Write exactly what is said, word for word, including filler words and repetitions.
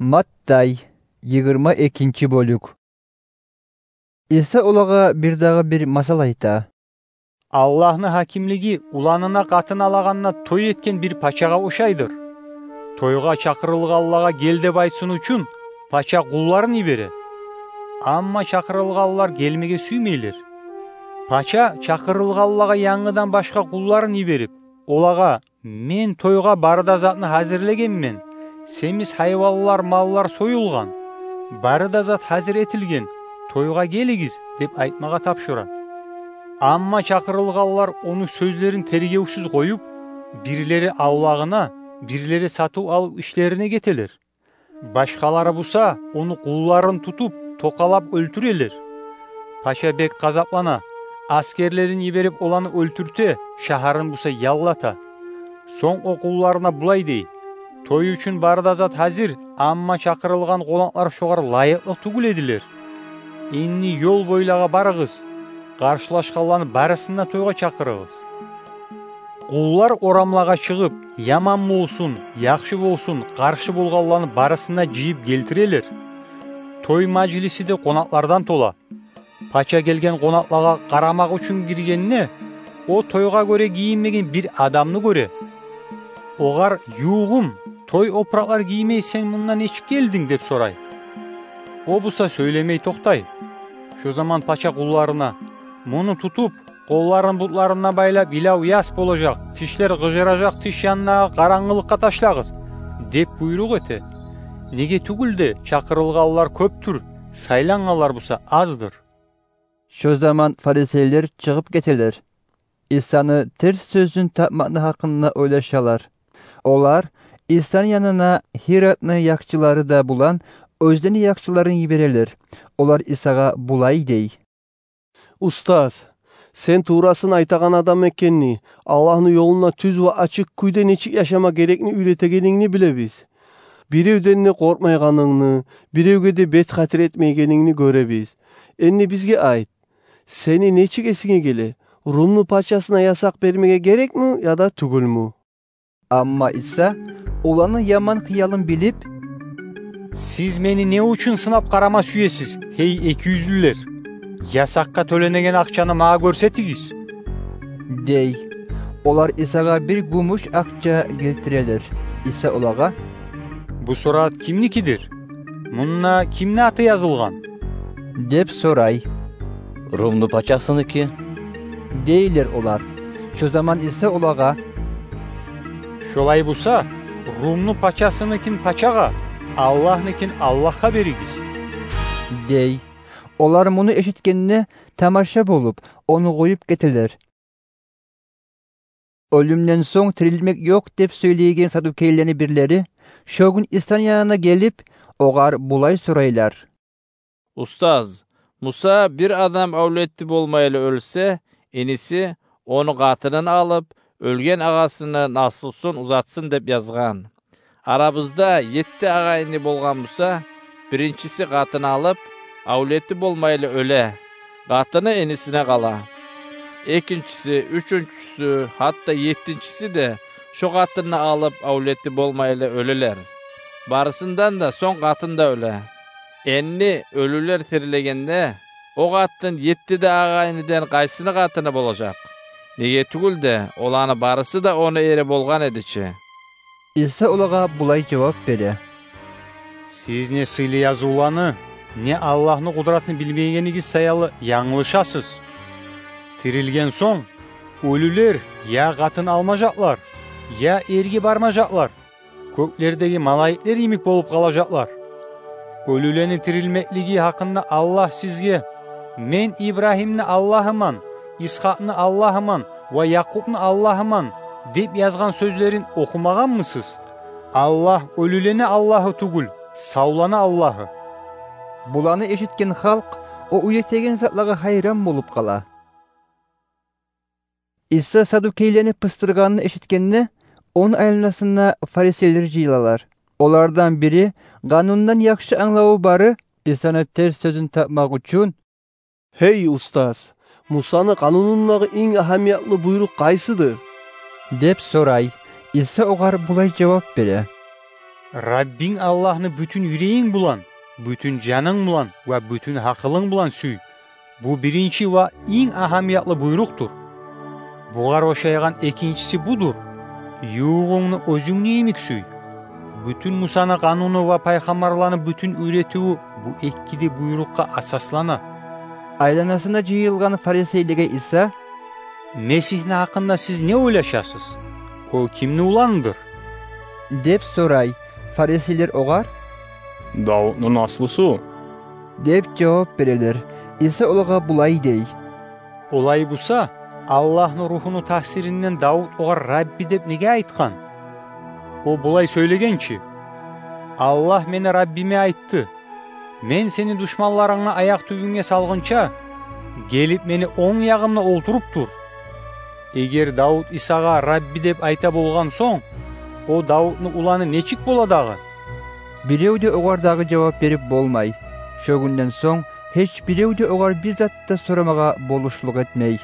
Маттай, йигирма экинчи бёлюк. Иса олагъа бирдагъы бир масал айта. Аллагьны гьакимлиги уланына къатын алагъанда той этген бир пачагъа ошайдыр. Тойгъа чакъырылгъанлагъа «Гел» деп айтсын учун, пача къулларын йибере. Амма чакъырылгъанлар гелмеге сюймейлер. Пача чакъырылгъанлагъа янгыдан башгъа къулларын йиберип, олагъа: «Мен тойгъа бары да затны гьазирлегенмен. Семиз гьайванлар, маллар союлгъан. Бары да зат гьазир этилген. Тойгъа гелигиз», — деп айтмагъа тапшура. Амма чакъырылгъанлар ону сёзлерин тергевсюз къоюп, бирлери авлагъына, бирлери сатыв-алыв ишлерине гетелер. Башгъалары буса ону къулларын тутуп, токъалап оьлтюрелер. Пача бек гъазаплана, асгерлерин йиберип, оланы оьлтюрте, шагьарын буса яллата. Сонг о къулларына булай дей: «Той учун бары да зат гьазир, амма чакъырылгъан къонакълар шогъар лайыкълы тюгюл эдилер. Энни ёл бойлагъа барыгъыз, къаршылашгъанланы барысын да тойгъа чакъырыгъыз». Къуллар орамлагъа чыгъып, яман болсун, яхшы болсун, къаршы болгъанланы барысын да жыйып гелтирелер. Той мажлиси де къонакълардан тола. Пача гелген къонакълагъа къарамакъ учун гиргенде, о тойгъа гёре гийинмеген бир адамны гёре. Огъар: «Ювугъум, той опуракълар гиймей сен мунда нечик гелдинг?» — деп сорай. О буса сёйлемей токътай. Шо заман пача къулларына: «Муну тутуп, къолларын бутларына байлап, йылав яс болажакъ, тишлер къыжыражакъ тиш янындагъы къарангылыкъгъа ташлагъыз», — деп буйрукъ эте. Неге тюгюл де, чакъырылгъанлар кёпдюр, сайлангъанлар буса аздыр. Шо заман фарисейлер чыгъып гетелер. Исаны терс сёзюн тапмакъны гьакъында ойлашалар. Олар Исаны янына Гьиродну якъчылары да булан оьзлени якъчыларын йиберелер. Олар Исагъа булай дей: «Устаз, сен туврасын айтагъан адам экенни, Аллагьны ёлунда тюз ва ачыкъ кюйде нечик яшама герекни уьйретегенингни билебиз. Биревден де къоркъмайгъанынгны, биревге де бет хатир этмейгенингни гёребиз. Энни бизге айт, сени нечик эсинге геле, Румну пачасына ясакъ бермеге герекми яда тюгюлмю?» Амма Иса оланы яман хыялын билип: «Сиз мени не учун сынап къарама сюесиз, гьей экиюзлюлер? Ясакъгъа тёленеген акъчаны магъа гёрсетигиз», — дей. Олар Исагъа бир гюмюш акъча гелтирелер. Иса олагъа: «Бу сурат кимникидир? Мунда кимни аты язылгъан?» — деп сорай. «Румну пачасыныки», — дейлер олар. Шо заман Иса олагъа: «Шолай буса, Румну пачасыныкин пачагъа, Аллагьныкин Аллагьгъа беригиз», — дей. Олар муну эшитгенде, тамаша болуп, ону къоюп гетелер. Оьлюмден сонг тирилмек ёкъ деп сёйлейген садукейлени бирлери шо гюн Исаны янына гелип, огъар булай сорайлар: «Устаз, Муса бир адам авлети болмайлы оьлсе, иниси ону къатынын алып, оьлген агъасыны наслусун узатсын деп язгъан. Арабызда етти агъайны болгъан буса, биринчиси къатын алып, авлети болмайлы оьле, къатыны инисине къала. Экинчиси, уьчюнчюсю, гьатта еттинчиси де шо къатынны алып, авлети болмайлы оьлелер. Барысындан да сонг къатын да оьле. Энни оьлюлер тирилегенде, о къатын етти де агъайныдан къайсыны къатыны болажакъ? Неге тюгюл де, оланы барысы да ону эри болгъан эди чи». Иса олагъа булай жавап бере: «Сиз не сыйлы язывланы, не Аллагьны къудратны билмейгенигиз саялы янглышасыз. Тирилген сонг, оьлюлер я къатын алмажакълар, я эрге бармажакълар, кёклердеги малайиклер йимик болуп къалажакълар. Оьлюлени тирилмеклиги гьакъында Аллагь сизге: „Мен Ибрагьимни Аллагьыман, Исхакъны Аллагьыман ва Якъубну Аллагьыман“, – деп язгъан сёзлерин охумагъанмысыз? Аллагь оьлюлени Аллагьы тюгюл, савланы Аллагьы». Буланы эшитген халкъ о уьйретеген затлагъа гьайран болуп къала. Иса садукейлени пыстыргъанын эшитгенде, ону айланасына фарисейлер жыйылалар. Олардан бири, къанундан яхшы англаву бары, Исаны терс сёзюн тапмакъ учун: «Гьей устаз, Мусаны къанунундагъы инг агьамиятлы буйрукъ къайсыдыр?» – деп сорай. Иса огъар булай жавап бере: Раббинг Аллагьны бютюн юрегинг булан, бютюн жанынг булан ва бютюн гьакъылынг булан сюй. Бу биринчи ва инг агьамиятлы буйрукъдур. Бугъар ошайгъан экинчиси будур: ювугъунгну оьзюнгню йимик сюй. Бютюн Мусаны къануну ва пайхаммарланы бютюн уьйретивю бу эки де буйрукъгъа асаслана. Айланасына жыйылгъан фарисейлеге Иса: «Месигьни гьакъында сиз не ойлашасыз? О кимни уланындыр?» — деп сорай. Фарисейлер огъар: «Давутну наслусу», — деп жавап берелер. Иса олагъа булай дей: «Олай буса, Аллагьны Рухуну таъсиринден Давут огъар Рабби деп неге айтгъан? О булай сёйлеген чи: „Аллагь мени Раббиме айтды: „Мен сени душманларынгны аякъ тюбюнге салгъынча, гелип мени онг ягъымда олтуруп тур“. Эгер Давут Исагъа Рабби деп айта болгъан сонг, о Давутну уланы нечик бола дагъы?» Бирев де огъар дагъы жавап берип болмай. Шо гюнден сонг гьеч бирев де огъар бир зат да сорамагъа болушлукъ этмей.